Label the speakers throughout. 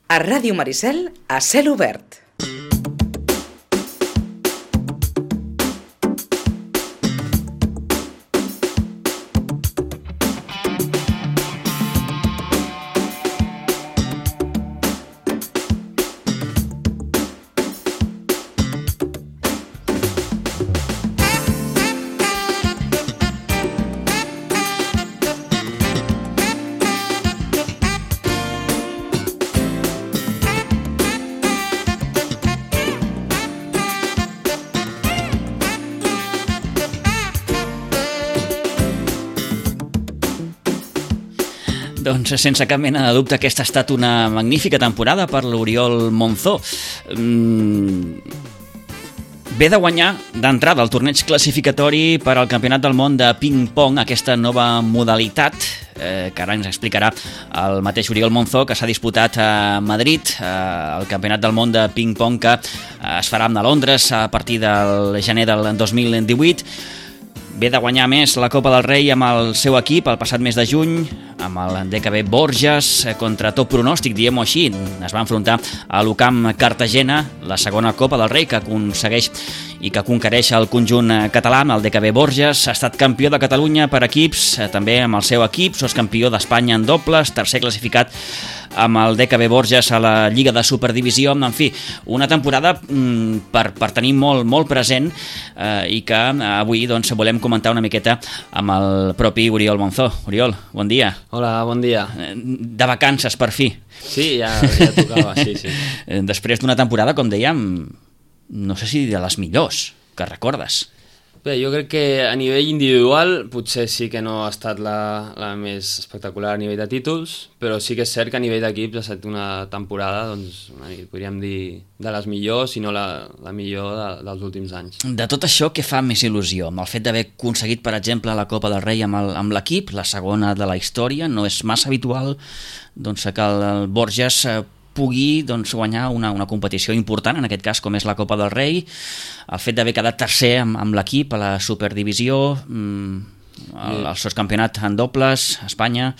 Speaker 1: A Ràdio Maricel, a cel obert.
Speaker 2: Doncs sense cap mena de dubte aquesta ha estat una magnífica temporada per l'Oriol Monzó. Ve de guanyar d'entrada el torneig classificatori per al Campionat del Món de ping-pong, aquesta nova modalitat que ara ens explicarà el mateix Oriol Monzó, que s'ha disputat a Madrid, el Campionat del Món de ping-pong que es farà a Londres a partir del gener del 2018. Ve de guanyar més la Copa del Rei amb el seu equip el passat mes de juny, amb el DKB Borges, contra tot pronòstic, diguem-ho així. Es va enfrontar a l'UCAM Cartagena, la segona Copa del Rei que aconsegueix i que conquereix el conjunt català amb el DKB Borges. Ha estat campió de Catalunya per equips, també amb el seu equip, campió d'Espanya en dobles, tercer classificat amb el DKB Borges a la Lliga de Superdivisió. En fi, una temporada per tenir molt present i que avui doncs, volem comentar una miqueta amb el propi Oriol Monzó. Oriol, bon dia.
Speaker 3: Hola, bon dia.
Speaker 2: De vacances, per fi.
Speaker 3: Sí, ja tocava, sí.
Speaker 2: Després d'una temporada, com dèiem, no sé si de les millors que recordes.
Speaker 3: Bé, jo crec que a nivell individual potser sí que no ha estat la més espectacular a nivell de títols, però sí que és cert que a nivell d'equips ha estat una temporada, doncs, podríem dir, de les millors, si no la millor dels últims anys.
Speaker 2: De tot això, què fa més il·lusió? Amb el fet d'haver aconseguit, per exemple, la Copa del Rei amb l'equip, la segona de la història, no és massa habitual doncs, que el Borges pugui guanyar una competició important, en aquest cas com és la Copa del Rei, el fet d'haver quedat tercer amb l'equip a la Superdivisió, el sotscampionat en dobles, a Espanya.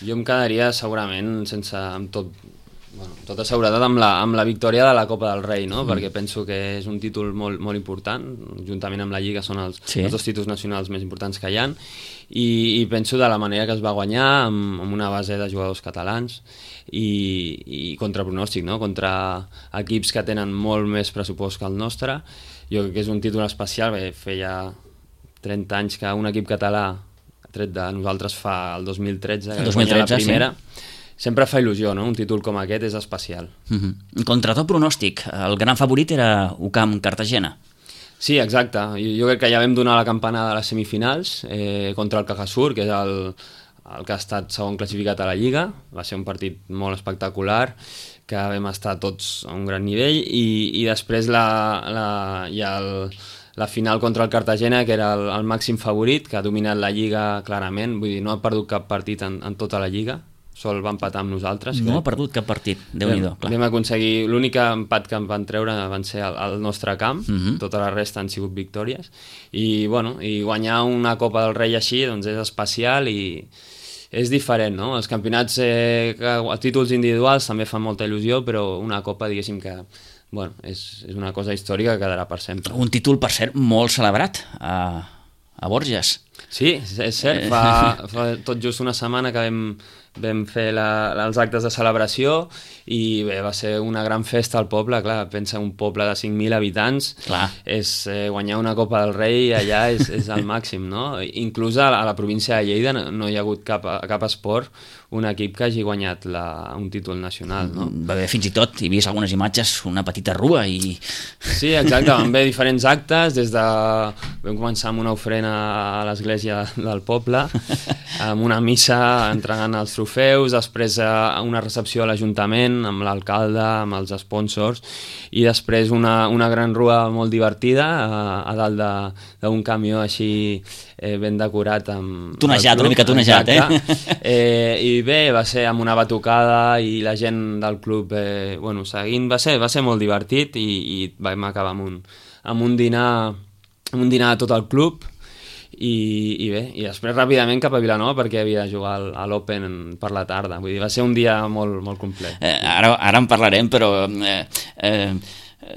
Speaker 3: Jo em quedaria segurament amb tota seguretat amb la victòria de la Copa del Rei, no? Perquè penso que és un títol molt important, juntament amb la Lliga són els dos títols nacionals més importants que hi ha, i penso de la manera que es va guanyar amb una base de jugadors catalans i contra pronòstic, no? Contra equips que tenen molt més pressupost que el nostre. Jo crec que és un títol especial, feia 30 anys que un equip català, tret de nosaltres, fa el 2013, que guanya la primera. Sí. Sempre fa il·lusió, no? Un títol com aquest és especial.
Speaker 2: Contra tot pronòstic, el gran favorit era UCAM Cartagena.
Speaker 3: Sí, exacte. Jo crec que ja vam donar la campanada a les semifinals contra el Cajasur, que és el que ha estat segon classificat a la Lliga. Va ser un partit molt espectacular, que vam estar tots a un gran nivell, i després hi ha la final contra el Cartagena, que era el màxim favorit, que ha dominat la Lliga clarament, vull dir, no ha perdut cap partit en tota la Lliga, sol va empatar amb nosaltres.
Speaker 2: No ha perdut cap partit, Déu-n'hi-do.
Speaker 3: Vam aconseguir, l'únic empat que em van treure van ser al nostre camp, tota la resta han sigut victòries, i guanyar una Copa del Rei així doncs és especial i és diferent, no? Els campionats, els títols individuals també fan molta il·lusió, però una Copa, diguéssim que és una cosa històrica que quedarà per sempre.
Speaker 2: Un títol, per cert, molt celebrat a Borges.
Speaker 3: Sí, és cert, fa tot just una setmana que vam fer els actes de celebració i bé, va ser una gran festa al poble. Clar, pensa, un poble de 5.000 habitants, guanyar una Copa del Rei allà és el màxim, no? Inclús a la província de Lleida no hi ha hagut cap esport, un equip que hagi guanyat un títol nacional, no?
Speaker 2: Va haver fins i tot, he vist algunes imatges, una petita rua i...
Speaker 3: Sí, exacte, van haver diferents actes, vam començar amb una ofrena a l'església del poble, amb una missa entregant els trofeus, després una recepció a l'Ajuntament amb l'alcalde, amb els sponsors, i després una gran rua molt divertida a dalt d'un camió així ben decorat amb...
Speaker 2: Tunejat, una mica tunejat,
Speaker 3: I bé, va ser amb una batucada i la gent del club seguint, va ser molt divertit i vam acabar amb un dinar de tot el club i bé, i després ràpidament cap a Vilanova perquè havia de jugar a l'Open per la tarda, vull dir, va ser un dia molt, molt complet.
Speaker 2: Ara en parlarem, però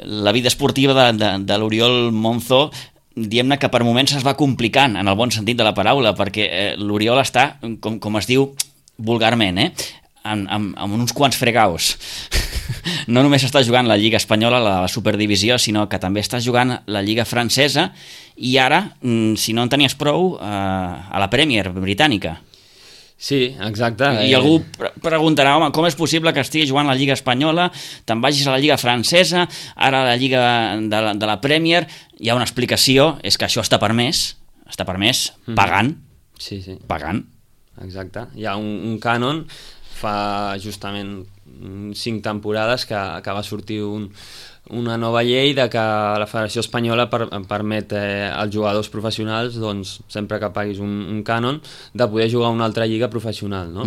Speaker 2: la vida esportiva de l'Oriol Monzó, diguem-ne que per moments es va complicant, en el bon sentit de la paraula, perquè l'Oriol està, com es diu vulgarment, amb uns quants fregaus. No només està jugant la Lliga Espanyola, la Superdivisió, sinó que també està jugant la Lliga Francesa i ara, si no en tenies prou, a la Premier britànica.
Speaker 3: Sí, exacte.
Speaker 2: I algú preguntarà, home, com és possible que estigui jugant la Lliga Espanyola, te'n vagis a la Lliga Francesa, ara a la Lliga de la Premier? Hi ha una explicació, és que això està permès pagant.
Speaker 3: Sí.
Speaker 2: Pagant.
Speaker 3: Exacte. Hi ha un cànon, fa justament 5 temporades que va sortir una nova llei de que la Federació Espanyola permet als jugadors professionals, doncs, sempre que paguis un cànon, de poder jugar a una altra lliga professional, no?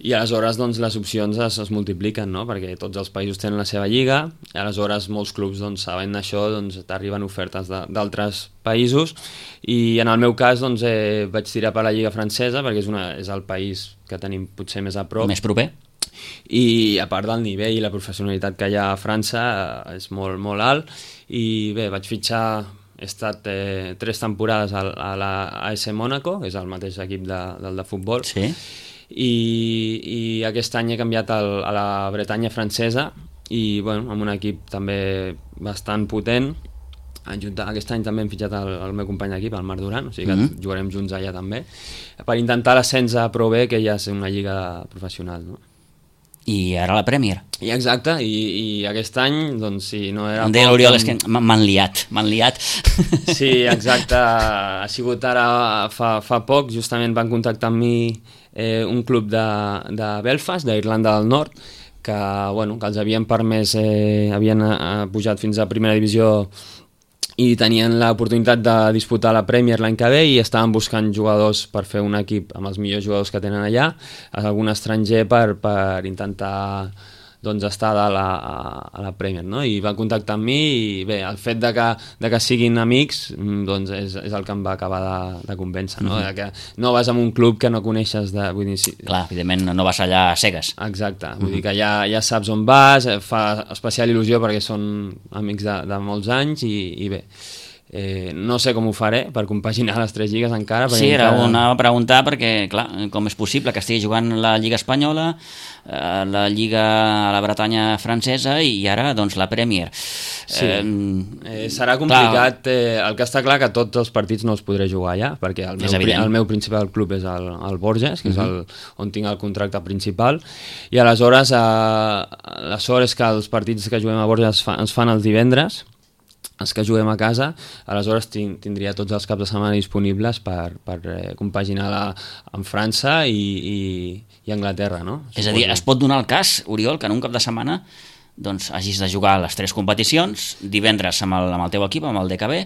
Speaker 3: I aleshores doncs, les opcions es multipliquen, no? Perquè tots els països tenen la seva lliga, i aleshores molts clubs, doncs, sabent d'això, doncs, t'arriben ofertes d'altres països, i en el meu cas doncs, vaig tirar per la lliga francesa, perquè és el país que tenim potser més a prop.
Speaker 2: Més proper.
Speaker 3: I a part del nivell i la professionalitat que hi ha a França és molt, molt alt, i bé, vaig fitxar, he estat 3 temporades a la AS Mónaco, que és el mateix equip del de futbol,
Speaker 2: sí.
Speaker 3: I aquest any he canviat a la Bretanya francesa, i bueno, amb un equip també bastant potent. Aquest any també hem fitxat el meu company d'equip, el Marc Duran, o sigui que jugarem junts allà també, per intentar l'ascens a Pro B, que ja és una lliga professional, no?
Speaker 2: I ara la Premier.
Speaker 3: I exacte, i aquest any, doncs, si no era...
Speaker 2: Em deia l'Oriol, és que m'han liat.
Speaker 3: Sí, exacte, ha sigut ara fa poc, justament van contactar amb mi un club de Belfast, d'Irlanda del Nord, que els havien permès, havien pujat fins a primera divisió i tenien l'oportunitat de disputar la Premier l'any que ve, i estaven buscant jugadors per fer un equip amb els millors jugadors que tenen allà, algun estranger per intentar estar a la Premier, no? I van contactar amb mi, i bé, el fet de que siguin amics doncs és el que em va acabar de convèncer, no? De que no vas a un club que no coneixes vull dir, sí.
Speaker 2: Clar, evidentment no vas allà a cegues.
Speaker 3: Exacte, vull dir que ja saps on vas, fa especial il·lusió perquè són amics de molts anys, i bé, no sé com ho faré per compaginar les 3 lligues encara.
Speaker 2: Sí, anava a preguntar perquè, clar, com és possible que estigui jugant la Lliga Espanyola, la Lliga a la Bretanya francesa i ara, doncs, la Premier.
Speaker 3: Sí, serà complicat. El que està clar que tots els partits no els podré jugar allà, perquè el meu principal club és el Borges, que és on tinc el contracte principal, i aleshores la sort és que els partits que juguem a Borges ens fan els divendres, els que juguem a casa, aleshores tindria tots els caps de setmana disponibles per compaginar amb França i Anglaterra, no?
Speaker 2: És a dir, es pot donar el cas, Oriol, que en un cap de setmana doncs, hagis de jugar les 3 competicions, divendres amb el teu equip, amb el DKB,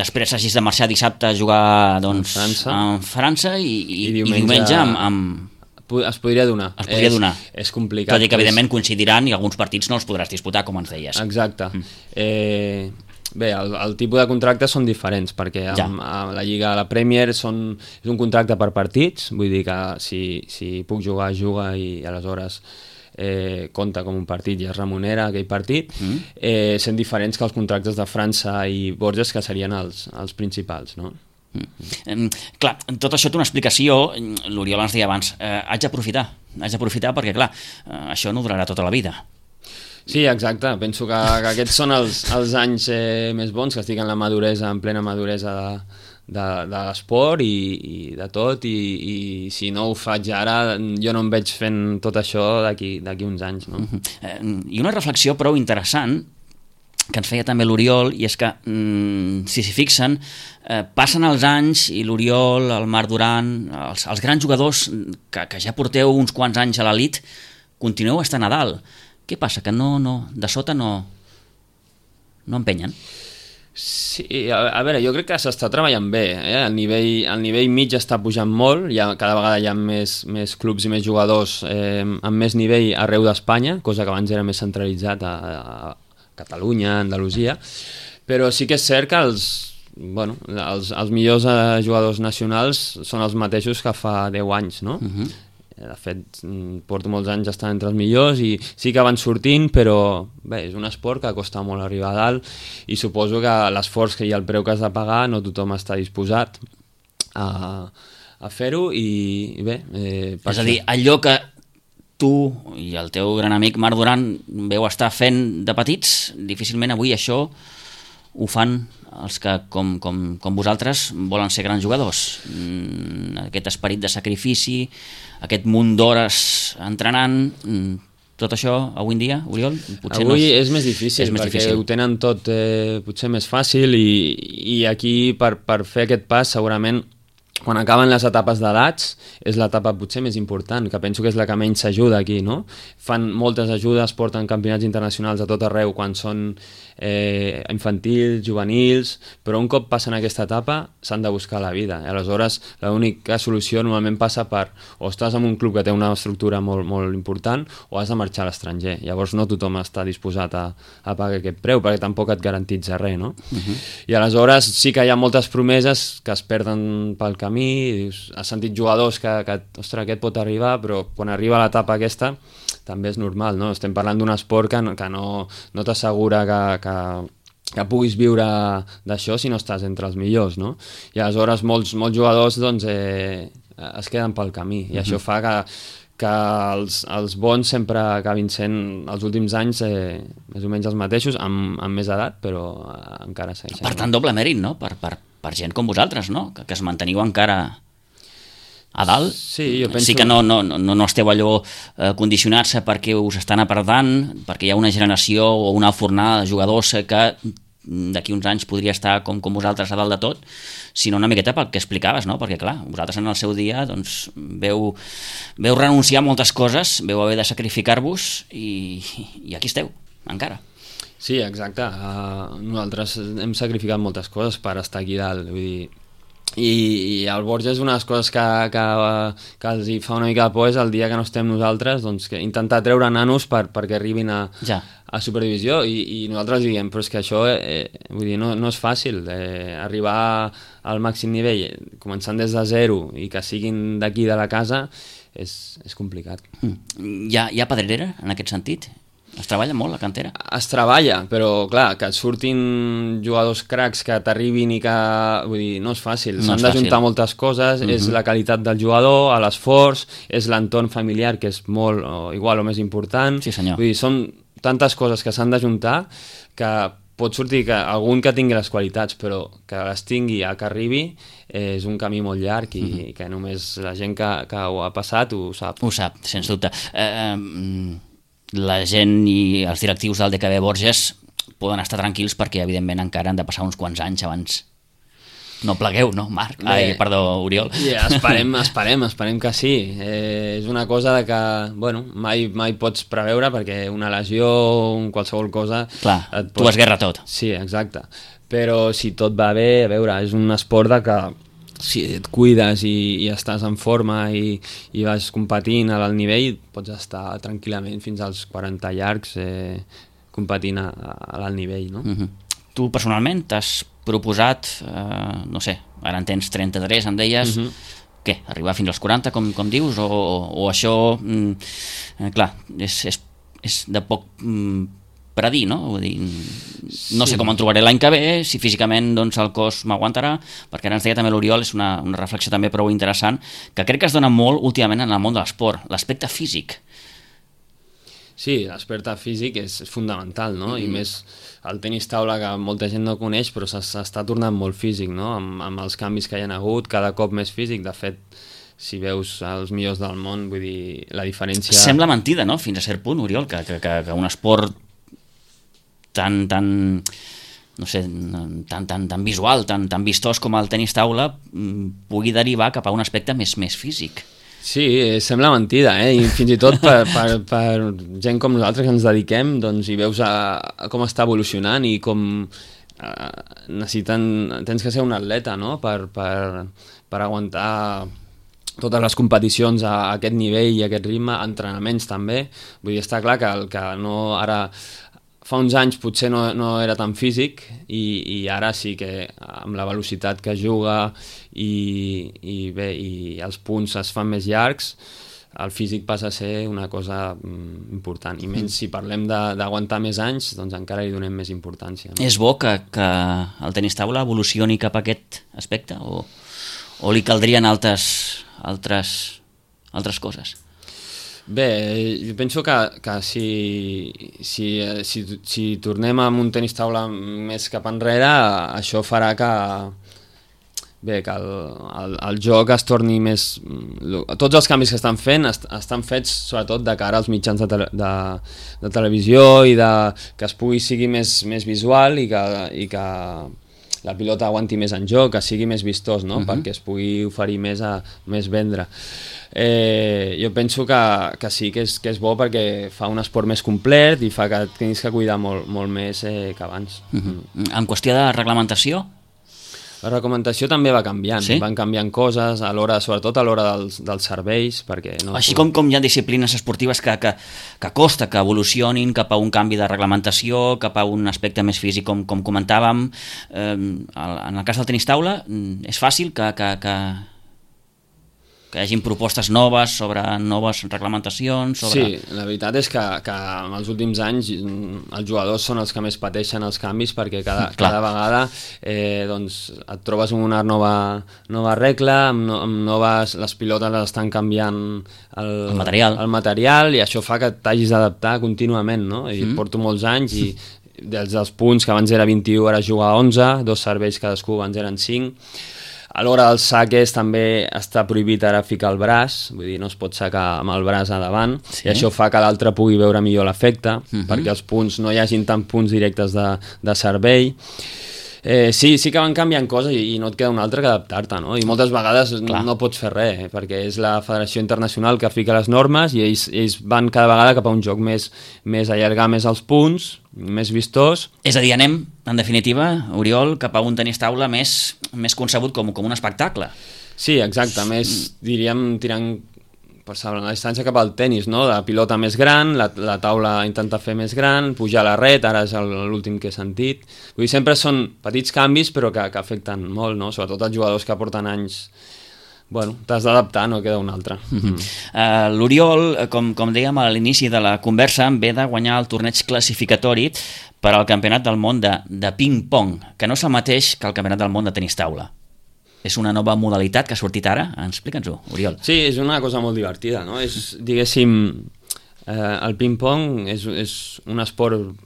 Speaker 2: després hagis de marxar dissabte a jugar doncs, en França i diumenge amb...
Speaker 3: Es podria donar. És complicat.
Speaker 2: Tot i que, evidentment, coincidiran i alguns partits no els podràs disputar, com ens deies.
Speaker 3: Exacte. Bé, el tipus de contractes són diferents, perquè a la Lliga, a la Premier, és un contracte per partits, vull dir que si puc jugar, juga, i aleshores compta com un partit i es remunera aquell partit, sent diferents que els contractes de França i Borges, que serien els principals, no?
Speaker 2: Clar, tot això té una explicació. L'Oriol ens deia abans, haig d'aprofitar perquè, clar, això no durarà tota la vida.
Speaker 3: Sí, exacte, penso que aquests són els anys més bons, que estic en en plena maduresa de l'esport i de tot, i si no ho faig ara, jo no em veig fent tot això d'aquí uns anys, no?
Speaker 2: I una reflexió prou interessant que ens feia també l'Oriol, i és que, si s'hi fixen, passen els anys i l'Oriol, el Marc Duran, els grans jugadors que ja porteu uns quants anys a l'elit, continueu estant a dalt. Què passa? Que de sota no empenyen?
Speaker 3: Sí, a veure, jo crec que s'està treballant bé, el nivell mig està pujant molt, cada vegada hi ha més clubs i més jugadors amb més nivell arreu d'Espanya, cosa que abans era més centralitzat a Catalunya, Andalusia, però sí que és cert que bueno, els millors jugadors nacionals són els mateixos que fa 10 anys, no? De fet, porto molts anys estant entre els millors i sí que van sortint, però bé, és un esport que costa molt arribar a dalt i suposo que l'esforç i el preu que has de pagar no tothom està disposat a fer-ho i bé...
Speaker 2: És a dir, allò que tu i el teu gran amic Marc Duran veu estar fent de petits, difícilment avui això ho fan els que, com vosaltres, volen ser grans jugadors. Aquest esperit de sacrifici, aquest munt d'hores entrenant, tot això, avui en dia, Oriol?
Speaker 3: Potser avui no és més difícil, perquè ho tenen tot potser més fàcil i aquí, per fer aquest pas, segurament, quan acaben les etapes d'edats, és l'etapa potser més important, que penso que és la que menys s'ajuda aquí, no? Fan moltes ajudes, porten campionats internacionals a tot arreu quan són infantils, juvenils, però un cop passen aquesta etapa s'han de buscar la vida. I aleshores l'única solució normalment passa per o estàs en un club que té una estructura molt, molt important o has de marxar a l'estranger. Llavors no tothom està disposat a pagar aquest preu perquè tampoc et garantitza res, no? I aleshores sí que hi ha moltes promeses que es perden pel camí, dius, has sentit jugadors que ostres, aquest pot arribar, però quan arriba l'etapa aquesta també és normal, no? Estem parlant d'un esport que no t'assegura que puguis viure d'això si no estàs entre els millors, no? I aleshores molts jugadors doncs, es queden pel camí i això fa que els bons sempre acabin sent els últims anys més o menys els mateixos, amb més edat, però encara segueixen.
Speaker 2: Per tant, doble mèrit, no? Per gent com vosaltres, no? Que es manteniu encara a dalt.
Speaker 3: Sí, jo penso...
Speaker 2: Sí que no esteu allò condicionats perquè us estan apartant, perquè hi ha una generació o una fornada de jugadors que d'aquí uns anys podria estar com vosaltres a dalt de tot, sinó una miqueta pel que explicaves, no? Perquè clar, vosaltres en el seu dia doncs, veu renunciar a moltes coses, veu haver de sacrificar-vos i aquí esteu, encara.
Speaker 3: Sí, exacte. Nosaltres hem sacrificat moltes coses per estar aquí dalt, vull dir, i el Borja és una de les coses que els hi fa una mica de por és el dia que no estem nosaltres, doncs que intentar treure nanos perquè arribin a Superdivisió i nosaltres diguem, però és que això vull dir, no és fàcil arribar al màxim nivell començant des de zero i que siguin d'aquí de la casa és complicat.
Speaker 2: Hi ha pedrera en aquest sentit? Es treballa molt, la cantera?
Speaker 3: Es treballa, però clar, que et surtin jugadors cracs que t'arribin i que... Vull dir, no és fàcil. S'han d'ajuntar moltes coses, és la qualitat del jugador, l'esforç, és l'entorn familiar, que és molt igual o més important.
Speaker 2: Sí, senyor.
Speaker 3: Vull dir, són tantes coses que s'han d'ajuntar que pot sortir que algun que tingui les qualitats, però que les tingui a que arribi és un camí molt llarg i que només la gent que ho ha passat ho sap.
Speaker 2: Ho sap, sens dubte. La gent i els directius del DKB Borges poden estar tranquils perquè evidentment encara han de passar uns quants anys abans. No plegueu, no, Marc? Perdó, Oriol.
Speaker 3: Esperem que sí. És una cosa de que, bueno, mai pots preveure perquè una lesió o qualsevol cosa...
Speaker 2: Clar, tu has guerra tot.
Speaker 3: Sí, exacte. Però si tot va bé, a veure, és un esport de que si et cuides i estàs en forma i vas competint a l'alt nivell, pots estar tranquil·lament fins als 40 llargs competint a l'alt nivell, no?
Speaker 2: Tu personalment t'has proposat, no sé, ara en tens 33, em deies, què, arribar fins als 40, com dius, o això, clar, és de poc predir, no? Vull dir, no sé com em trobaré l'any que ve, si físicament doncs, el cos m'aguantarà, perquè ara ens deia també l'Oriol, és una reflexió també prou interessant, que crec que es dona molt últimament en el món de l'esport, l'aspecte físic.
Speaker 3: Sí, l'aspecte físic és fundamental, no? I més el tenis taula, que molta gent no coneix, però s'està tornant molt físic, no? Amb els canvis que hi ha hagut, cada cop més físic. De fet, si veus els millors del món, vull dir, la diferència...
Speaker 2: Sembla mentida, no?, fins a cert punt, Oriol, que un esport tan no sé, tan visual, tan vistós com el tenis taula pugui derivar cap a un aspecte més físic.
Speaker 3: Sí, sembla mentida, i fins i tot per gent com nosaltres que ens dediquem, doncs hi veus com està evolucionant i com tens que ser un atleta, no?, per aguantar totes les competicions a aquest nivell i a aquest ritme, entrenaments també. Vull dir, està clar que no ara... fa uns anys potser no era tan físic i ara sí que amb la velocitat que juga i els punts es fan més llargs, el físic passa a ser una cosa important, i menys si parlem d'aguantar més anys, doncs encara li donem més importància.
Speaker 2: És bo que el tenis taula evolucioni cap a aquest aspecte o li caldrien altres coses?
Speaker 3: Bé, jo penso que si tornem amb un tenis taula més cap enrere, això farà que el joc es torni més... Tots els canvis que estan fent estan fets sobretot de cara als mitjans de televisió i que es sigui més visual i que la pilota aguanti més en joc, que sigui més vistós, no? Perquè es pugui oferir més vendre. Jo penso que sí, que és bo perquè fa un esport més complet i fa que tinguis que cuidar molt més que abans.
Speaker 2: En qüestió de reglamentació?
Speaker 3: La reglamentació també va canviant,
Speaker 2: sí?
Speaker 3: Van canviant coses, sobretot a l'hora dels serveis, perquè...
Speaker 2: Així com hi ha disciplines esportives que costa que evolucionin cap a un canvi de reglamentació, cap a un aspecte més físic, com comentàvem, en el cas del tenis taula, és fàcil que hi hagin propostes noves sobre noves reglamentacions?
Speaker 3: Sí, la veritat és que en els últims anys els jugadors són els que més pateixen els canvis, perquè cada vegada doncs, et trobes una nova regla, amb noves... les pilotes les estan canviant el material i això fa que t'hagis d'adaptar contínuament, no? I porto molts anys i dels punts que abans era 21 ara jugar a 11, 2 serveis cadascú, abans eren 5. A l'hora dels saques també està prohibit ara ficar el braç, vull dir, no es pot sacar amb el braç a davant, i això fa que l'altre pugui veure millor l'efecte, perquè els punts no hi hagin tant punts directes de servei. Sí que van canviant coses i no et queda una altra que adaptar-te, no? I moltes vegades no pots fer res, perquè és la Federació Internacional que fica les normes i ells van cada vegada cap a un joc més allargar més els punts, més vistós.
Speaker 2: És a dir, anem, en definitiva, Oriol, cap a un tenis taula més concebut com un espectacle.
Speaker 3: Sí, exacte, més, diríem, tirant per saber la distància cap al tenis, no? La pilota més gran, la taula intenta fer més gran, pujar a la red, ara és l'últim que he sentit. Vull dir, sempre són petits canvis però que afecten molt, no? Sobretot els jugadors que porten anys. Bueno, t'has d'adaptar, no queda un altre.
Speaker 2: L'Oriol, com dèiem a l'inici de la conversa, ve de guanyar el torneig classificatori per al Campionat del Món de ping-pong, que no és el mateix que el Campionat del Món de tenis taula. És una nova modalitat que ha sortit ara? Explica'ns-ho, Oriol.
Speaker 3: Sí, és una cosa molt divertida, no? És, diguéssim, el ping-pong és un esport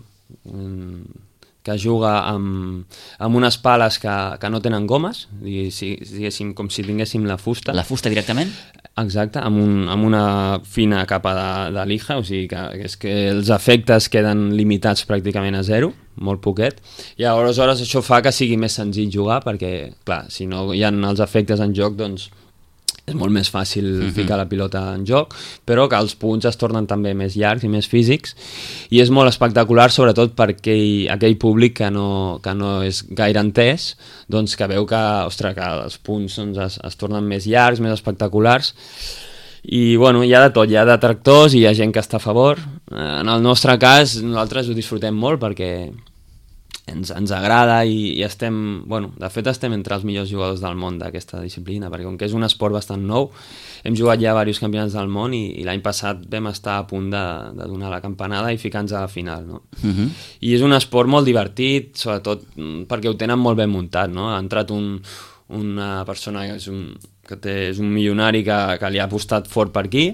Speaker 3: que juga amb unes pales que no tenen gomes, diguéssim, com si tinguéssim la fusta.
Speaker 2: La fusta directament?
Speaker 3: Exacte, amb una fina capa de lija, o sigui que és que els efectes queden limitats pràcticament a zero, molt poquet, i aleshores això fa que sigui més senzill jugar, perquè, clar, si no hi ha els efectes en joc, doncs és molt més fàcil ficar la pilota en joc, però que els punts es tornen també més llargs i més físics, i és molt espectacular, sobretot per aquell públic que no és gaire entès, doncs que veu que els punts doncs, es tornen més llargs, més espectaculars, i bueno, hi ha de tot, hi ha detractors i hi ha gent que està a favor. En el nostre cas, nosaltres ho disfrutem molt perquè ens agrada i estem, bueno, de fet estem entre els millors jugadors del món d'aquesta disciplina, perquè com que és un esport bastant nou, hem jugat ja diversos campionats del món i l'any passat vam estar a punt de donar la campanada i ficar-nos a la final, no? I és un esport molt divertit, sobretot perquè ho tenen molt ben muntat, no? Ha entrat una persona que és un milionari que li ha apostat fort per aquí,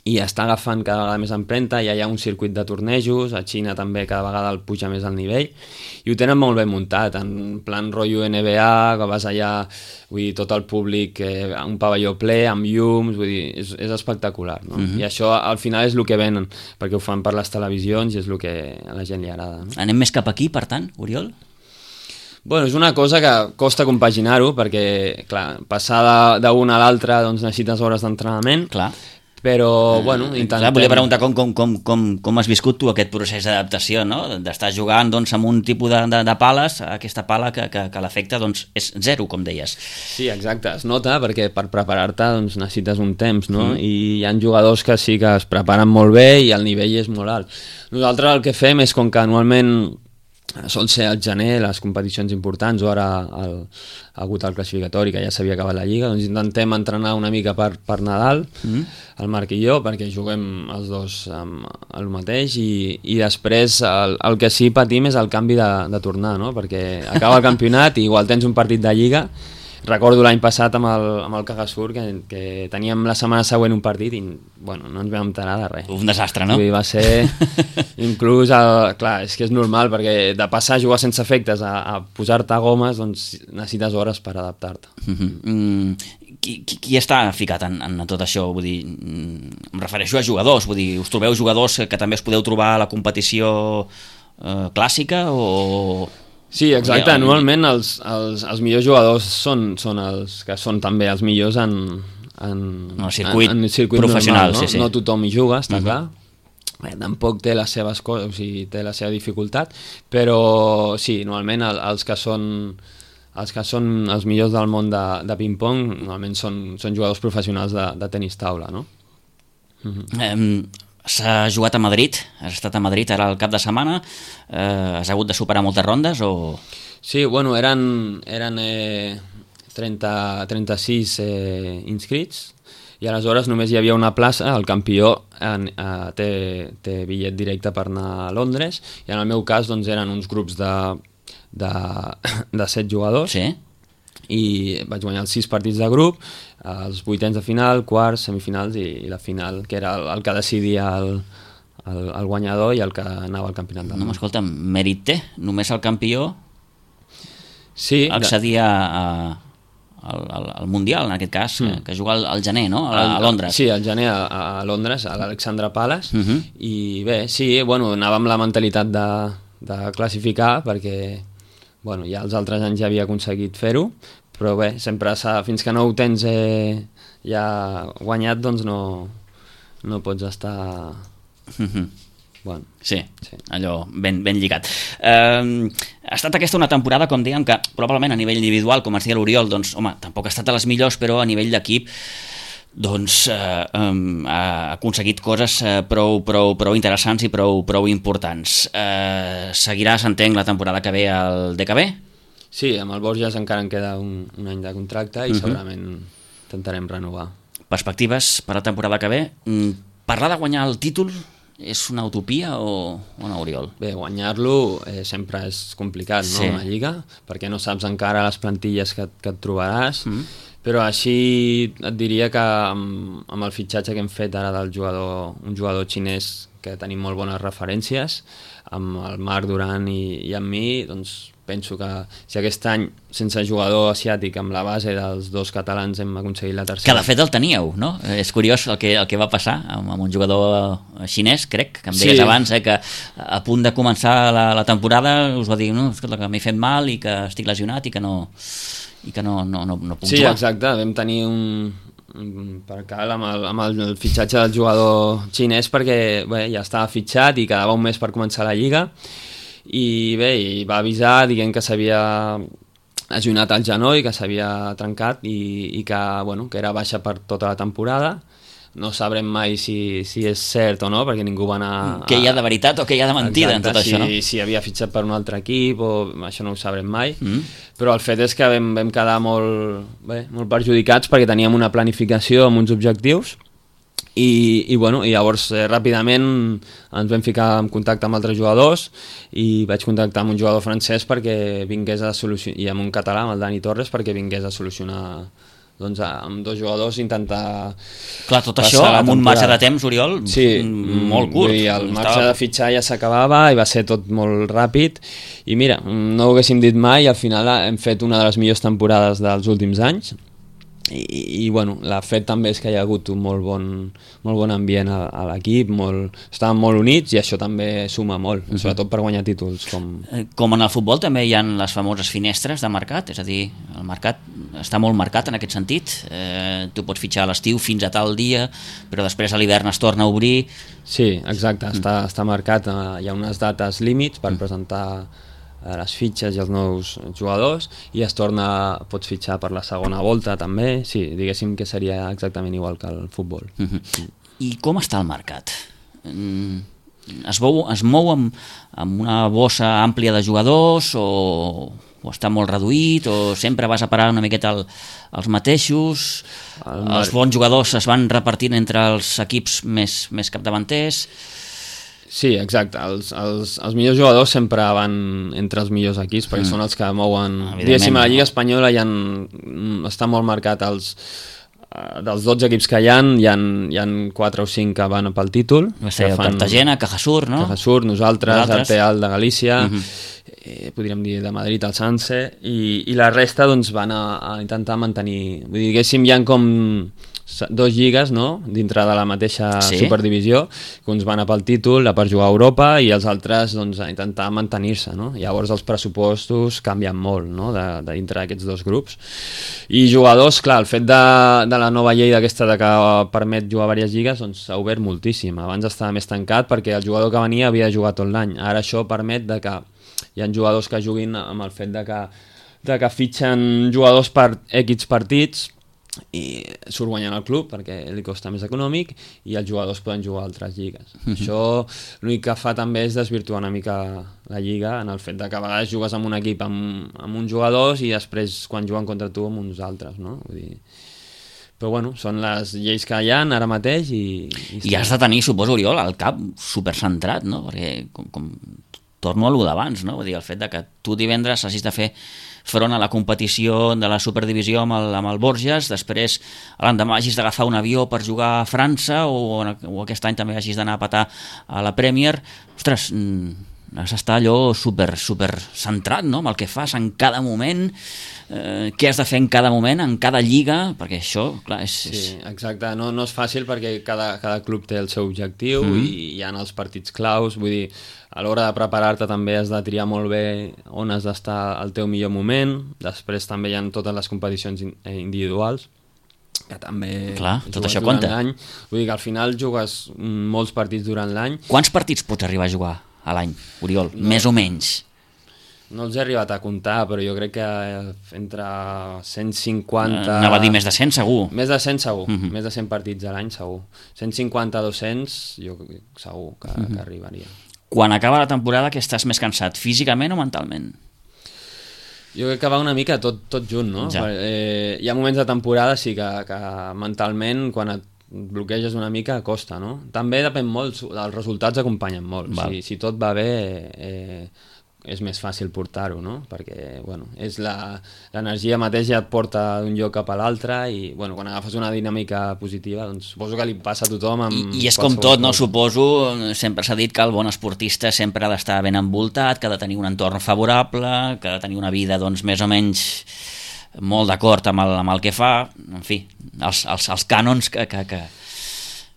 Speaker 3: i està agafant cada vegada més empremta, ja hi ha un circuit de tornejos, a Xina també cada vegada el puja més al nivell, i ho tenen molt ben muntat, en plan rotllo NBA, que vas allà, vull dir, tot el públic, un pavelló ple, amb llums, vull dir, és espectacular, no? I això al final és el que venen, perquè ho fan per les televisions i és el que a la gent li agrada, no?
Speaker 2: Anem més cap aquí, per tant, Oriol?
Speaker 3: Bueno, és una cosa que costa compaginar-ho, perquè, clar, passar d'un a l'altre doncs necessites hores d'entrenament,
Speaker 2: clar,
Speaker 3: però bueno, intentem...
Speaker 2: Volia preguntar com has viscut tu aquest procés d'adaptació, no? D'estar jugant doncs, amb un tipus de pales, aquesta pala que l'efecte doncs, és zero, com deies.
Speaker 3: Sí, exacte, es nota perquè per preparar-te doncs, necessites un temps, no? I hi ha jugadors que sí que es preparen molt bé i el nivell és molt alt. Nosaltres el que fem és, com que anualment sol ser al gener les competicions importants, o ara ha hagut el classificatori que ja s'havia acabat la Lliga, doncs intentem entrenar una mica per Nadal, el Marc i jo, perquè juguem els dos el mateix, i després el que sí patim és el canvi de tornar, no? Perquè acaba el campionat i igual tens un partit de Lliga. Recordo l'any passat amb el Cagasur que teníem la setmana següent un partit i bueno, no ens vam enterar de res.
Speaker 2: Un desastre, no?
Speaker 3: Va ser inclús, clar, és que és normal perquè de passar a jugar sense efectes a posar-te gomes, doncs necessites hores per adaptar-te.
Speaker 2: Qui està ficat en tot això? Vull dir, em refereixo a jugadors, vull dir, us trobeu jugadors que també us podeu trobar a la competició clàssica o...
Speaker 3: Sí, exacte, anualment els millors jugadors són els que són també els millors en
Speaker 2: circuit
Speaker 3: normal,
Speaker 2: professional,
Speaker 3: no?
Speaker 2: Sí.
Speaker 3: No tothom hi juga, està clar. Tampoc té les seves coses, o sigui, té la seva dificultat, però sí, normalment els que són els millors del món de ping-pong normalment són jugadors professionals de tenis taula, no?
Speaker 2: S'ha jugat a Madrid, has estat a Madrid ara al cap de setmana, has hagut de superar moltes rondes o...?
Speaker 3: Sí, bueno, eren 36 inscrits i aleshores només hi havia una plaça, el campió té bitllet directe per anar a Londres i en el meu cas doncs, eren uns grups de 7 jugadors.
Speaker 2: Sí.
Speaker 3: I vaig guanyar els 6 partits de grup, els vuitens de final, quarts, semifinals i la final, que era el que decidia el guanyador i el que anava al campionat del món.
Speaker 2: No, escolta, mèrit té, només el campió accedia al Mundial, en aquest cas, que juga al gener, no? A Londres.
Speaker 3: Sí, al gener a Londres, a l'Alexandra Palace, i bé, sí, bueno, anava amb la mentalitat de classificar, perquè bueno, ja els altres anys ja havia aconseguit fer-ho, però bé, sempre fins que no ho tens ja guanyat, doncs no pots estar... Bueno,
Speaker 2: sí, allò ben lligat. Ha estat aquesta una temporada, com dèiem, que probablement a nivell individual, com es deia l'Oriol, doncs, home, tampoc ha estat a les millors, però a nivell d'equip doncs ha aconseguit coses prou interessants i prou importants. Seguiràs, entenc, la temporada que ve al DKB?
Speaker 3: Sí, amb el Borges encara en queda un any de contracte i segurament intentarem renovar.
Speaker 2: Perspectives per la temporada que ve? Parlar de guanyar el títol és una utopia o no, Oriol?
Speaker 3: Bé, guanyar-lo sempre és complicat, no? Una lliga, perquè no saps encara les plantilles que et trobaràs, però així et diria que amb el fitxatge que hem fet ara un jugador xinès que tenim molt bones referències, amb el Marc Duran i amb mi, doncs penso que si aquest any sense jugador asiàtic amb la base dels dos catalans hem aconseguit la tercera...
Speaker 2: Que de fet el teníeu, no? És curiós el que va passar amb un jugador xinès, crec, que em deies abans, que a punt de començar la temporada us va dir, no, escolta, que m'he fet mal i que estic lesionat i que no puc jugar.
Speaker 3: Sí, exacte, vam tenir per cal amb el fitxatge del jugador xinès perquè bé, ja estava fitxat i quedava un mes per començar la lliga i bé, va avisar dient que s'havia lesionat el genoll, que s'havia trencat i que, bueno, que era baixa per tota la temporada. No sabrem mai si és cert o no, perquè ningú va anar...
Speaker 2: Què hi ha de veritat o què hi ha de mentida en tot això, no?
Speaker 3: Si havia fitxat per un altre equip o això no ho sabrem mai, però el fet és que vam quedar molt perjudicats perquè teníem una planificació amb uns objectius i llavors ràpidament ens vam ficar en contacte amb altres jugadors i vaig contactar amb un jugador francès perquè vingués a solucionar, i amb un català, amb el Dani Torres, perquè vingués a solucionar doncs amb dos jugadors intentar...
Speaker 2: Clar, tot això amb un marge de temps, Oriol, molt curt.
Speaker 3: Sí, el marge de fitxar ja s'acabava i va ser tot molt ràpid i mira, no ho haguéssim dit mai i al final hem fet una de les millors temporades dels últims anys i bueno, el fet també és que hi ha hagut un molt bon ambient a l'equip, estàvem molt units i això també suma molt, sobretot per guanyar títols.
Speaker 2: Com en el futbol també hi ha les famoses finestres de mercat, és a dir, el mercat està molt marcat en aquest sentit. Tu pots fitxar a l'estiu fins a tal dia, però després a l'hivern es torna a obrir.
Speaker 3: Sí, exacte, està marcat. Hi ha unes dates límits per presentar les fitxes i els nous jugadors i pots fitxar per la segona volta també. Sí, diguéssim que seria exactament igual que el futbol.
Speaker 2: I com està el mercat? Es mou amb una bossa àmplia de jugadors o està molt reduït o sempre vas a parar una miqueta als mateixos? Els bons jugadors es van repartint entre els equips més capdavanters?
Speaker 3: Sí, exacte. Els millors jugadors sempre van entre els millors equips perquè són els que mouen... Diguéssim, a la Lliga Espanyola està molt marcat dels 12 equips que hi ha 4 o 5 que van pel títol.
Speaker 2: Cartagena, Cajasur, no?
Speaker 3: Cajasur, nosaltres, el Real de Galícia, podríem dir de Madrid, el Sanse, i la resta doncs, van a intentar mantenir... Vull dir, diguéssim, hi ha com 2 lligues, no?, dintre de la mateixa superdivisió, que uns van a pel títol, a per jugar a Europa, i els altres doncs, a intentar mantenir-se, no? Llavors els pressupostos canvien molt, no?, de dintre d'aquests 2 grups. I jugadors, clar, el fet de la nova llei d'aquesta que permet jugar a diverses lligues doncs s'ha obert moltíssim. Abans estava més tancat perquè el jugador que venia havia de jugar tot l'any. Ara això permet que hi ha jugadors que juguin amb el fet de que fitxen jugadors per X partits i surt guanyant el club perquè li costa més econòmic i els jugadors poden jugar a altres lligues. Això l'únic que fa també és desvirtuar una mica la lliga en el fet de que a vegades jugues amb un equip amb uns jugadors i després quan juguen contra tu amb uns altres, no? Vull dir... Però bueno, són les lleis que hi ha ara mateix
Speaker 2: i has de tenir, suposo, Oriol, el cap supercentrat, no? Perquè com torno a lo d'abans, no? Vull dir, el fet de que tu divendres hagis de fer front a la competició de la Superdivisió amb el Borges, després l'endemà hagis d'agafar un avió per jugar a França o aquest any també hagis d'anar a petar a la Premier. Ostres, has d'estar allò super centrat, no?, amb el que fas en cada moment, què has de fer en cada moment, en cada lliga, perquè això, clar, és...
Speaker 3: Sí, exacte, no és fàcil perquè cada club té el seu objectiu i hi ha els partits claus, vull dir, a l'hora de preparar-te també has de triar molt bé on has d'estar al teu millor moment, després també hi ha totes les competicions individuals, que també...
Speaker 2: Clar, tot això compta.
Speaker 3: Vull dir que al final jugues molts partits durant l'any.
Speaker 2: Quants partits pots arribar a jugar a l'any, Oriol? Més o menys?
Speaker 3: No els he arribat a comptar, però jo crec que entre 150...
Speaker 2: Anava a dir més de 100, segur.
Speaker 3: Més de 100, segur. Més de 100 partits a l'any, segur. 150 a 200, jo segur que arribaria.
Speaker 2: Quan acaba la temporada, que estàs més cansat, físicament o mentalment?
Speaker 3: Jo crec que va una mica tot junt, no? Ja. Hi ha moments de temporada, sí, que mentalment, quan et bloqueges una mica, costa, no? També depèn molt, els resultats acompanyen molt. Si tot va bé, és més fàcil portar-ho, no? Perquè, bueno, és l'energia mateix ja et porta d'un lloc cap a l'altre i, bueno, quan agafes una dinàmica positiva, doncs suposo que li passa a tothom amb...
Speaker 2: I és com tot, no? Suposo, sempre s'ha dit que el bon esportista sempre ha d'estar ben envoltat, que ha de tenir un entorn favorable, que ha de tenir una vida, doncs, més o menys molt d'acord amb el que fa, en fi, els cànons que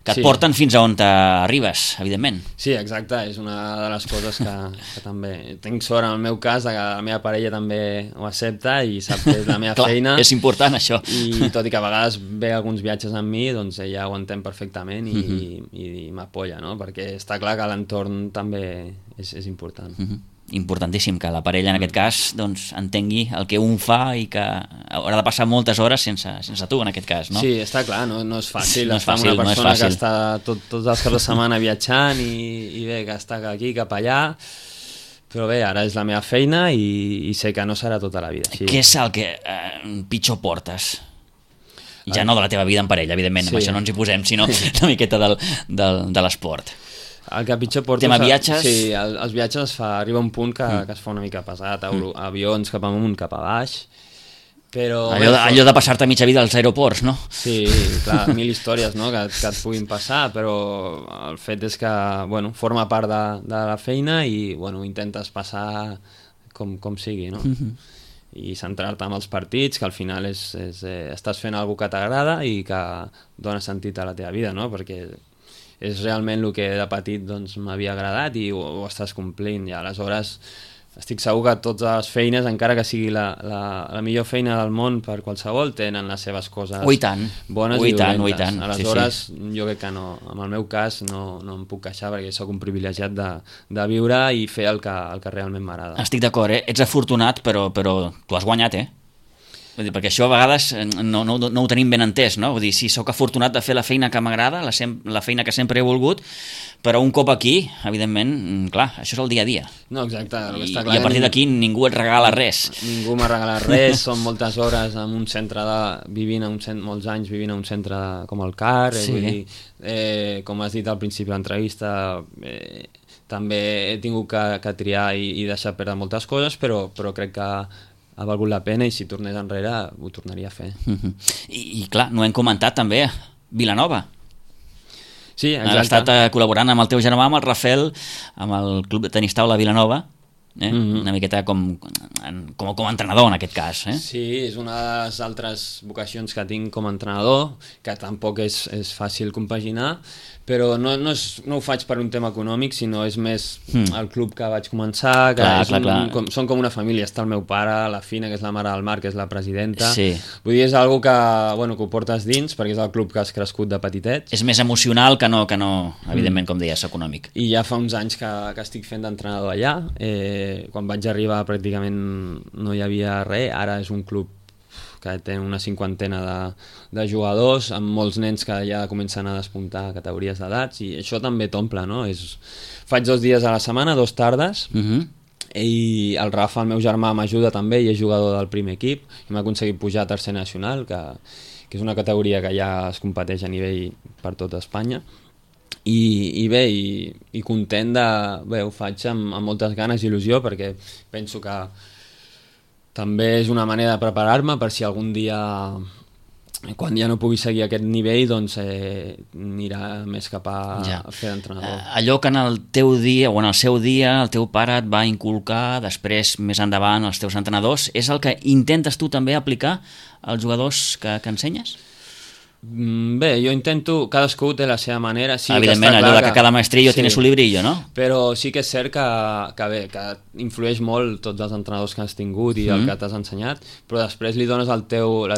Speaker 2: et porten fins a on t'arribes, evidentment.
Speaker 3: Sí, exacte, és una de les coses que també... Tinc sort en el meu cas que la meva parella també ho accepta i sap que és la meva feina.
Speaker 2: És important, això.
Speaker 3: I tot i que a vegades ve alguns viatges amb mi, doncs ella ho entén perfectament i m'apoya, no? Perquè està clar que l'entorn també és important.
Speaker 2: Importantíssim que la parella en aquest cas doncs, entengui el que un fa i que haurà de passar moltes hores sense tu en aquest cas, no?
Speaker 3: Sí, està clar, no és fàcil estar amb una persona que està tots els caps de setmana viatjant i bé, que està aquí, cap allà, però bé, ara és la meva feina i sé que no serà tota la vida. Sí.
Speaker 2: Què és el que pitjor portes? Ja no de la teva vida en parella, evidentment, amb això no ens hi posem, sinó una miqueta de l'esport.
Speaker 3: El que pitjor portes...
Speaker 2: Tema viatges?
Speaker 3: Sí, els viatges arriba un punt que es fa una mica pesat, avions cap amunt, cap a baix, però...
Speaker 2: Allò de passar-te mitja vida als aeroports, no?
Speaker 3: Sí, clar, 1000 històries, no?, que et puguin passar, però el fet és que, bueno, forma part de la feina i, bueno, intentes passar com sigui, no? I centrar-te en els partits, que al final estàs fent alguna que t'agrada i que dona sentit a la teva vida, no?, perquè és realment el que de petit doncs, m'havia agradat i ho estàs complint, i aleshores estic segur que totes les feines, encara que sigui la millor feina del món per qualsevol, tenen les seves coses bones i dolentes. Aleshores, jo crec que no, en el meu cas no em puc queixar perquè sóc un privilegiat de viure i fer el que realment m'agrada.
Speaker 2: Estic d'acord, Ets afortunat, però tu has guanyat, Vull dir, perquè això a vegades no ho tenim ben entès, no? Vull dir, sí, sóc afortunat de fer la feina que m'agrada, la feina que sempre he volgut, però un cop aquí, evidentment, clar, això és el dia a dia.
Speaker 3: No, exacte.
Speaker 2: I a partir d'aquí ningú et regala res.
Speaker 3: Ningú m'ha regalat res, són moltes hores en un centre molts anys vivint a un centre com el CAR, vull dir, com has dit al principi de l'entrevista, també he tingut que triar i deixar perdre moltes coses, però crec que ha valgut la pena i si tornés enrere ho tornaria a fer.
Speaker 2: I clar, no hem comentat també Vilanova.
Speaker 3: Sí, exacte.
Speaker 2: Has estat col·laborant amb el teu germà, amb el Rafel, amb el Club de Tenis Taula Vilanova, una miqueta com a entrenador en aquest cas.
Speaker 3: Sí, és una de les altres vocacions que tinc com a entrenador, que tampoc és fàcil compaginar, però no ho faig per un tema econòmic, sinó és més el club que vaig començar, que són com una família. Està el meu pare, la Fina, que és la mare del Marc, que és la presidenta.
Speaker 2: Sí.
Speaker 3: Vull dir, és algo que ho portes dins, perquè és el club que has crescut de petitets.
Speaker 2: És més emocional que no evidentment, com deies, econòmic.
Speaker 3: I ja fa uns anys que estic fent d'entrenador allà. Quan vaig arribar pràcticament no hi havia res, ara és un club que té una 50 de jugadors, amb molts nens que ja comencen a despuntar categories d'edats, i això també t'omple, no? Faig 2 dies a la setmana, 2 tardes, i el Rafa, el meu germà, m'ajuda també, i és jugador del primer equip, i m'ha aconseguit pujar a tercer nacional, que és una categoria que ja es competeix a nivell per tota Espanya, i bé, i content ho faig amb moltes ganes i il·lusió, perquè penso que també és una manera de preparar-me per si algun dia, quan ja no pugui seguir aquest nivell, doncs anirà més cap a fer d'entrenador.
Speaker 2: Allò que en el teu dia o en el seu dia el teu pare et va inculcar, després més endavant els teus entrenadors, és el que intentes tu també aplicar als jugadors que ensenyes?
Speaker 3: Bé, jo intento, cadascú té la seva manera. Sí,
Speaker 2: evidentment, allò que cada maestrillo tiene su librillo, no?
Speaker 3: Però sí que és cert que influeix molt tots els entrenadors que has tingut i el que t'has ensenyat, però després li dones la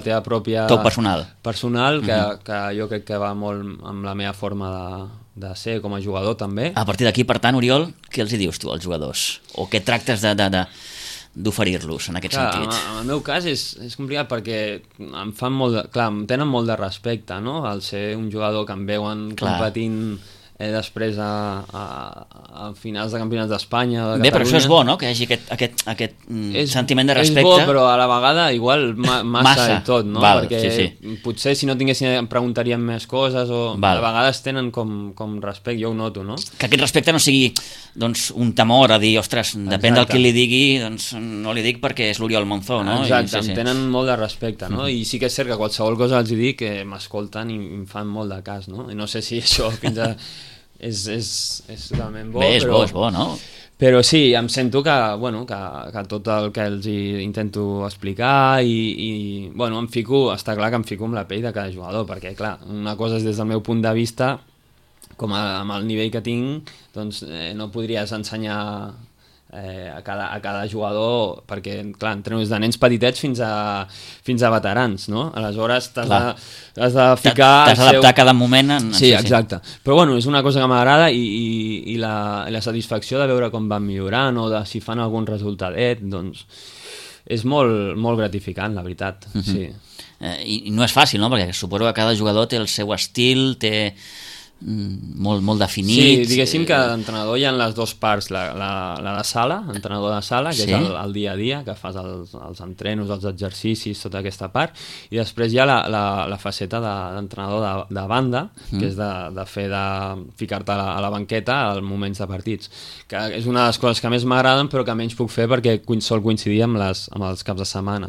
Speaker 3: teva pròpia...
Speaker 2: Tot personal,
Speaker 3: que jo crec que va molt amb la meva forma de ser com a jugador també.
Speaker 2: A partir d'aquí, per tant, Oriol, què els hi dius tu als jugadors? O què tractes d'oferir-los en aquest sentit?
Speaker 3: En el meu cas és complicat perquè em tenen molt de respecte, no? Al ser un jugador que em veuen competint després a finals de campionats d'Espanya, de Catalunya.
Speaker 2: Bé, però això és bo, no?, que hi hagi aquest sentiment de respecte.
Speaker 3: És bo, però a la vegada igual massa i tot, no?
Speaker 2: Val,
Speaker 3: perquè potser si no tinguessin em preguntarien més coses o a vegades tenen com respecte, jo ho noto, no?
Speaker 2: Que aquest respecte no sigui doncs, un temor a dir, ostres, depèn del qui li digui, doncs no li dic perquè és l'Oriol Monzó, no?
Speaker 3: Exacte, em tenen molt de respecte, no? I sí que és cert que qualsevol cosa els dic que m'escolten i em fan molt de cas, no? I no sé si això fins a... és totalment bo.
Speaker 2: Bé, és bo, no?
Speaker 3: Però sí, em sento que tot el que els intento explicar i està clar que em fico amb la pell de cada jugador, perquè clar, una cosa és des del meu punt de vista, amb el nivell que tinc, doncs no podries ensenyar a cada jugador, perquè clar, entreno des de nens petitets fins a veterans, no? Aleshores has de ficar...
Speaker 2: T'has d'adaptar a cada moment.
Speaker 3: Sí, exacte. Però bueno, és una cosa que m'agrada i la satisfacció de veure com van millorant o de si fan algun resultadet, doncs és molt, molt gratificant, la veritat. Sí.
Speaker 2: I no és fàcil, no? Perquè suposo que cada jugador té el seu estil, té... molt definit.
Speaker 3: Sí, diguéssim que d'entrenador hi ha les dues parts, la de sala, entrenador de sala, que és el dia a dia, que fas els entrenos, els exercicis, tota aquesta part, i després hi ha la faceta d'entrenador de banda, que és de ficar-te a la banqueta als moments de partits, que és una de les coses que més m'agraden però que menys puc fer perquè sol coincidir amb els caps de setmana,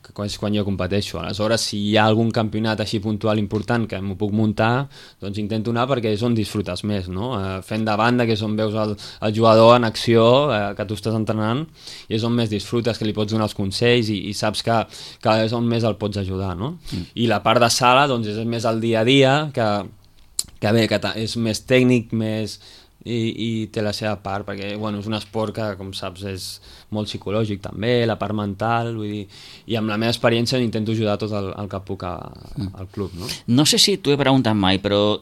Speaker 3: que és quan jo competeixo. Aleshores, si hi ha algun campionat així puntual important que m'ho puc muntar, doncs intento anar perquè és on disfrutes més, no? Fent de banda, que és on veus el jugador en acció, que tu estàs entrenant, i és on més disfrutes, que li pots donar els consells i saps que és on més el pots ajudar, no? I la part de sala doncs és més el dia a dia, que és més tècnic, més i té la seva part, perquè bueno, és un esport que, com saps, és molt psicològic també, la part mental, vull dir, i amb la meva experiència intento ajudar tot el que puc al club. No?
Speaker 2: No sé si t'ho he preguntat mai, però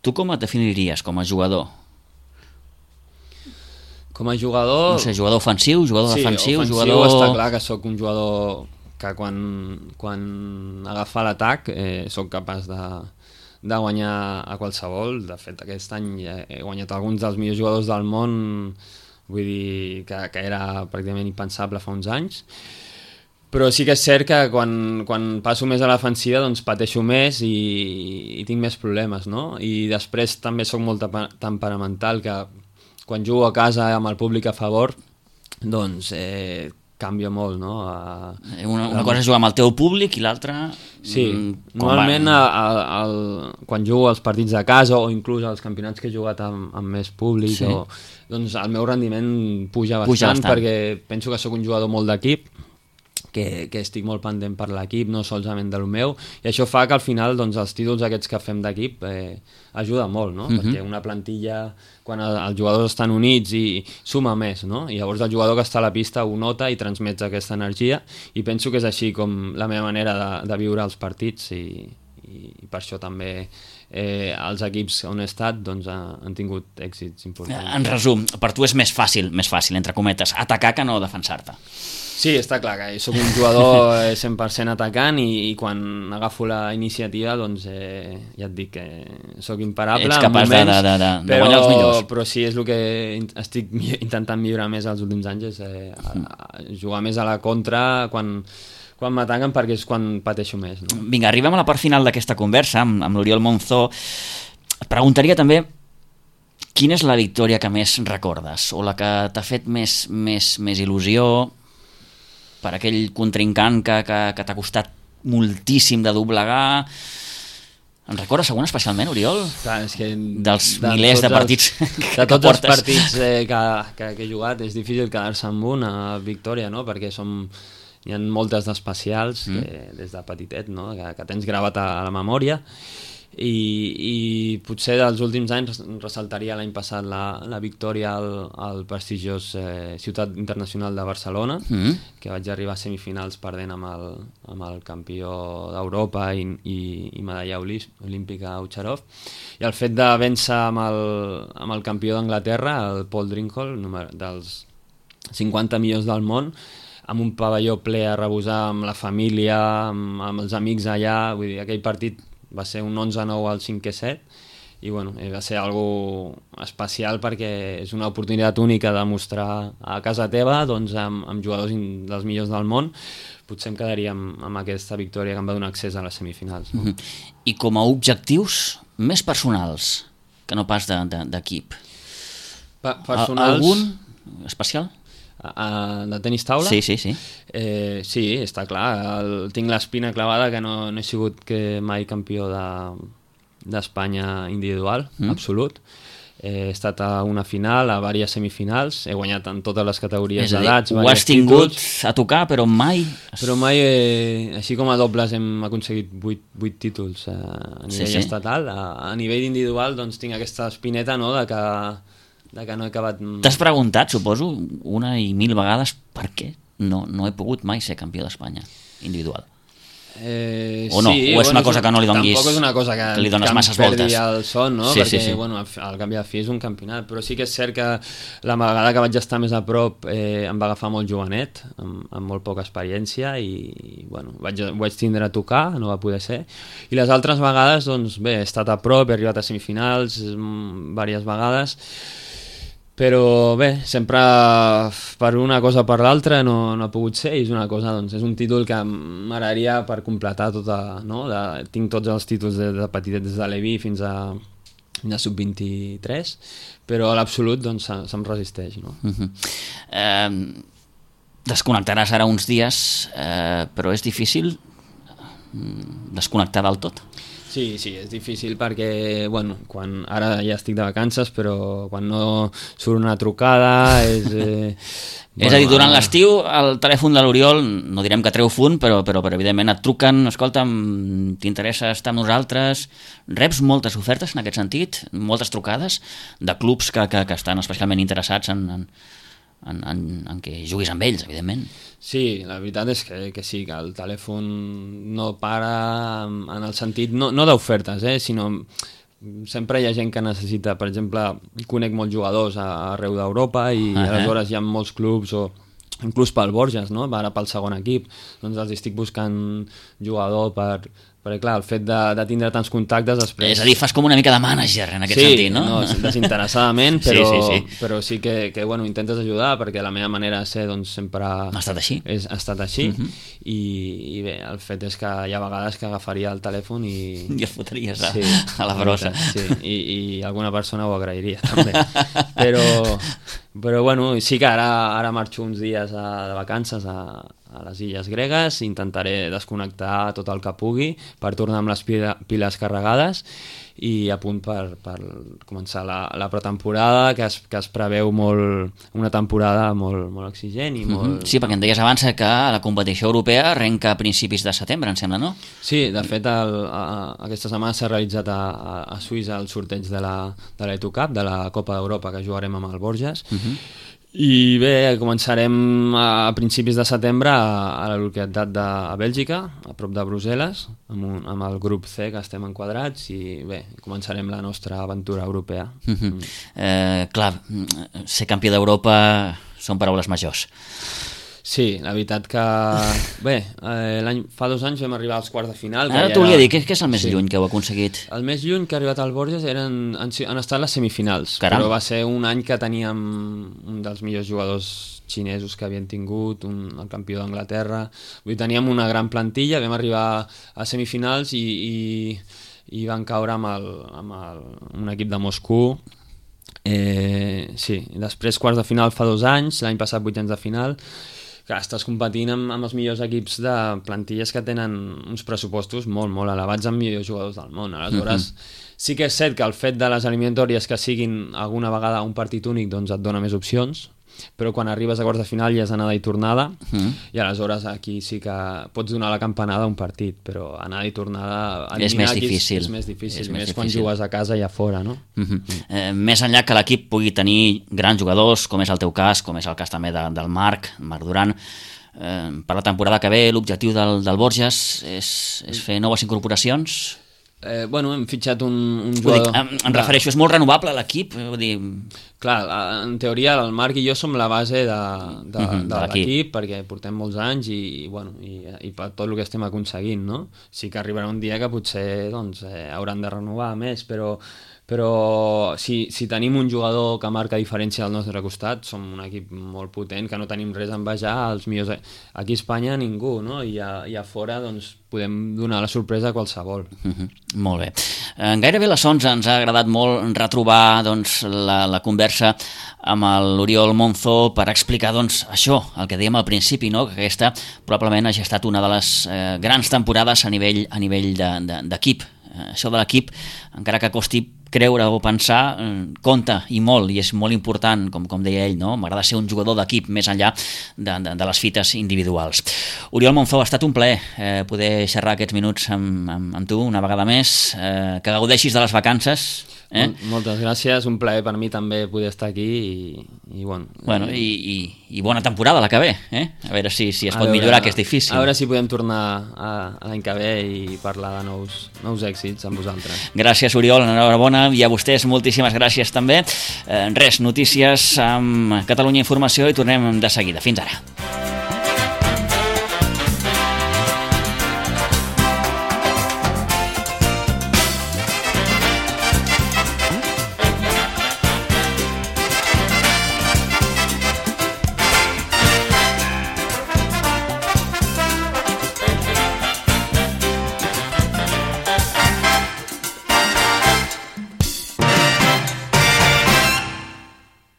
Speaker 2: tu com et definiries com a jugador?
Speaker 3: Com a jugador...
Speaker 2: No sé, jugador ofensiu, jugador defensiu,
Speaker 3: ofensiu,
Speaker 2: jugador...
Speaker 3: està clar que sóc un jugador que quan agafa l'atac sóc capaç de guanyar a qualsevol. De fet, aquest any he guanyat alguns dels millors jugadors del món, vull dir que era pràcticament impensable fa uns anys. Però sí que és cert que quan passo més a l'ofensiva doncs pateixo més i tinc més problemes, no? I després també sóc molt temperamental, que quan jugo a casa amb el públic a favor, doncs canvia molt, no?
Speaker 2: Una cosa és jugar amb el teu públic i l'altra...
Speaker 3: Sí, normalment quan jugo als partits de casa o inclús als campionats que he jugat amb més públic, sí. Doncs el meu rendiment puja bastant perquè penso que sóc un jugador molt d'equip, que estic molt pendent per l'equip, no solament del meu, i això fa que al final doncs, els títols aquests que fem d'equip ajuda molt, no? Perquè una plantilla, quan els jugadors estan units i suma més, no? I llavors el jugador que està a la pista ho nota i transmet aquesta energia, i penso que és així com la meva manera de viure els partits, i per això també els equips on he estat doncs, han tingut èxits importants.
Speaker 2: En resum, per tu és més fàcil, entre cometes, atacar que no defensar-te.
Speaker 3: Sí, està clar que soc un jugador 100% atacant i quan agafo la iniciativa doncs ja et dic que soc imparable.
Speaker 2: Ets capaç de guanyar els millors.
Speaker 3: Però sí, és el que estic intentant millorar més els últims anys, és jugar més a la contra quan m'ataquen, perquè és quan pateixo més. No?
Speaker 2: Vinga, arribem a la part final d'aquesta conversa amb l'Oriol Monzó. Et preguntaria també quina és la victòria que més recordes o la que t'ha fet més il·lusió per aquell contrincant que t'ha costat moltíssim de doblegar. En recordes algun especialment, Oriol?
Speaker 3: Clar, és que
Speaker 2: dels milers de partits
Speaker 3: que tots els partits que he jugat és difícil quedar-se amb una victòria, no? Perquè hi ha moltes d'especials des de petitet, no? que tens gravat a la memòria, i potser dels últims anys ressaltaria l'any passat la victòria al prestigiós Ciutat Internacional de Barcelona, que vaig arribar a semifinals perdent amb el campió d'Europa i medalla olímpica Ucharov, i el fet de vèncer amb el campió d'Anglaterra, el Paul Drinkhold, dels 50 millors del món, amb un pavelló ple a rebosar, amb la família, amb els amics allà. Vull dir, aquell partit va ser un 11-9 al 5-7 i bueno, va ser algo especial perquè és una oportunitat única de mostrar a casa teva doncs, amb jugadors dels millors del món. Potser em quedaria amb aquesta victòria que em va donar accés a les semifinals. No?
Speaker 2: I com a objectius més personals que no pas d'equip, algun especial?
Speaker 3: De tenis taula?
Speaker 2: Sí.
Speaker 3: Sí, està clar. Tinc l'espina clavada que no he sigut mai campió d'Espanya individual, absolut. He estat a una final, a diverses semifinals, he guanyat en totes les categories d'edats.
Speaker 2: Ho has tingut a tocar, però mai...
Speaker 3: Però mai, així com a dobles hem aconseguit 8 títols a nivell estatal. A nivell individual doncs tinc aquesta espineta, no?, de que no he acabat...
Speaker 2: T'has preguntat, suposo, 1.000 vegades per què no he pogut mai ser campió d'Espanya individual? O no?
Speaker 3: Sí,
Speaker 2: o és una cosa que no li donguis...
Speaker 3: Tampoc és una cosa que
Speaker 2: li dones masses voltes.
Speaker 3: Perdi el son, no? Perquè, bueno, al canvi de fi és un campionat, però sí que és cert que la vegada que vaig estar més a prop em va agafar molt jovenet, amb molt poca experiència, i bueno, ho vaig tindre a tocar, no va poder ser. I les altres vegades, doncs bé, he estat a prop, he arribat a semifinals diverses vegades, però bé, sempre per una cosa o per l'altra no ha pogut ser, i és una cosa, doncs, és un títol que m'agradaria per completar tota, no? Tinc tots els títols de petitet, des de l'Evi fins a sub-23, però a l'absolut doncs se'm resisteix, no?
Speaker 2: Desconnectaràs ara uns dies, però és difícil desconnectar del tot?
Speaker 3: Sí, és difícil perquè, bueno, ara ja estic de vacances, però quan no surt una trucada
Speaker 2: És a dir, durant l'estiu el telèfon de l'Oriol, no direm que treu fund, però evidentment et truquen, escolta, t'interessa estar amb nosaltres, reps moltes ofertes en aquest sentit, moltes trucades de clubs que estan especialment interessats en què juguis amb ells, evidentment.
Speaker 3: Sí, la veritat és que sí, que el telèfon no para en el sentit, no d'ofertes, sinó sempre hi ha gent que necessita, per exemple, conec molts jugadors arreu d'Europa i aleshores hi ha molts clubs o inclús pel Borges, no? Ara pel segon equip, doncs els estic buscant jugador perquè clar, el fet de tindre tants contactes després... És
Speaker 2: a dir, fas com una mica de mànager en aquest sentit, no?
Speaker 3: Sí, desinteressadament, però sí que bueno, intentes ajudar perquè la meva manera de ser doncs, sempre...
Speaker 2: Ha estat així.
Speaker 3: Ha estat així i bé, el fet és que hi ha vegades que agafaria el telèfon i...
Speaker 2: I el fotries a la brossa.
Speaker 3: Sí, i alguna persona ho agrairia també. Però bueno, sí que ara marxo uns dies de vacances a les illes gregues, intentaré desconnectar tot el que pugui per tornar amb les piles carregades i a punt per començar la pretemporada, que es preveu una temporada molt exigent i molt...
Speaker 2: Sí, perquè em deies abans que la competició europea arrenca a principis de setembre, em sembla, no?
Speaker 3: Sí, de fet aquesta setmana s'ha realitzat a Suïssa el sorteig de l'Eto Cup, de la Copa d'Europa que jugarem amb el Borges, i bé, començarem a principis de setembre a la localitat de Bèlgica, a prop de Brussel·les, amb el grup C que estem enquadrats i bé, començarem la nostra aventura europea.
Speaker 2: Clar, ser campió d'Europa són paraules majors.
Speaker 3: Sí, la veritat que... Bé, fa 2 anys vam arribar als quarts de final.
Speaker 2: Ara t'ho volia dir, què és el més lluny que heu aconseguit?
Speaker 3: El més lluny que ha arribat al Borges han estat les semifinals.
Speaker 2: Caram.
Speaker 3: Però va ser un any que teníem un dels millors jugadors xinesos que havien tingut, el campió d'Anglaterra. Vull dir, teníem una gran plantilla, vam arribar a semifinals i van caure amb un equip de Moscou. Sí, després quarts de final fa 2 anys, l'any passat vuitens de final. Que estàs competint amb els millors equips de plantilles que tenen uns pressupostos molt elevats amb millors jugadors del món. Aleshores, sí que és cert que el fet de les eliminatòries que siguin alguna vegada un partit únic doncs et dona més opcions, però quan arribes a quarts de final ja és anada i tornada, i aleshores aquí sí que pots donar la campanada a un partit, però anada i tornada
Speaker 2: és més difícil.
Speaker 3: És més difícil, més quan jugues a casa i a fora, no?
Speaker 2: Més enllà que l'equip pugui tenir grans jugadors, com és el teu cas, com és el cas també del Marc Duran, per la temporada que ve l'objectiu del Borges és fer noves incorporacions?
Speaker 3: Bueno, hem fitxat un jugador...
Speaker 2: Em refereixo, és molt renovable l'equip?
Speaker 3: Clar, en teoria el Marc i jo som la base de l'equip perquè portem molts anys i per tot el que estem aconseguint, no? Sí que arribarà un dia que potser hauran de renovar més, però si tenim un jugador que marca diferència al nostre costat, som un equip molt potent, que no tenim res a envejar als millors... Aquí a Espanya ningú, no? I a fora doncs, podem donar la sorpresa a qualsevol.
Speaker 2: Molt bé. Gairebé a les 11 ens ha agradat molt retrobar la conversa amb l'Oriol Monzó per explicar això, el que dèiem al principi, no? Que aquesta probablement hagi estat una de les grans temporades a nivell d'equip. Això de l'equip, encara que costi creure o pensar, compta i molt, i és molt important, com deia ell, no? M'agrada ser un jugador d'equip més enllà de les fites individuals. Oriol Monzó, ha estat un plaer poder xerrar aquests minuts amb tu una vegada més, que gaudeixis de les vacances.
Speaker 3: Moltes gràcies, un plaer per mi també poder estar aquí i
Speaker 2: bona temporada la que ve, a veure si es pot millorar, que és difícil.
Speaker 3: A veure si podem tornar l'any que ve i parlar de nous èxits amb vosaltres.
Speaker 2: Gràcies, Oriol, enhorabona, i a vostès moltíssimes gràcies també. Notícies amb Catalunya Informació i tornem de seguida. Fins ara.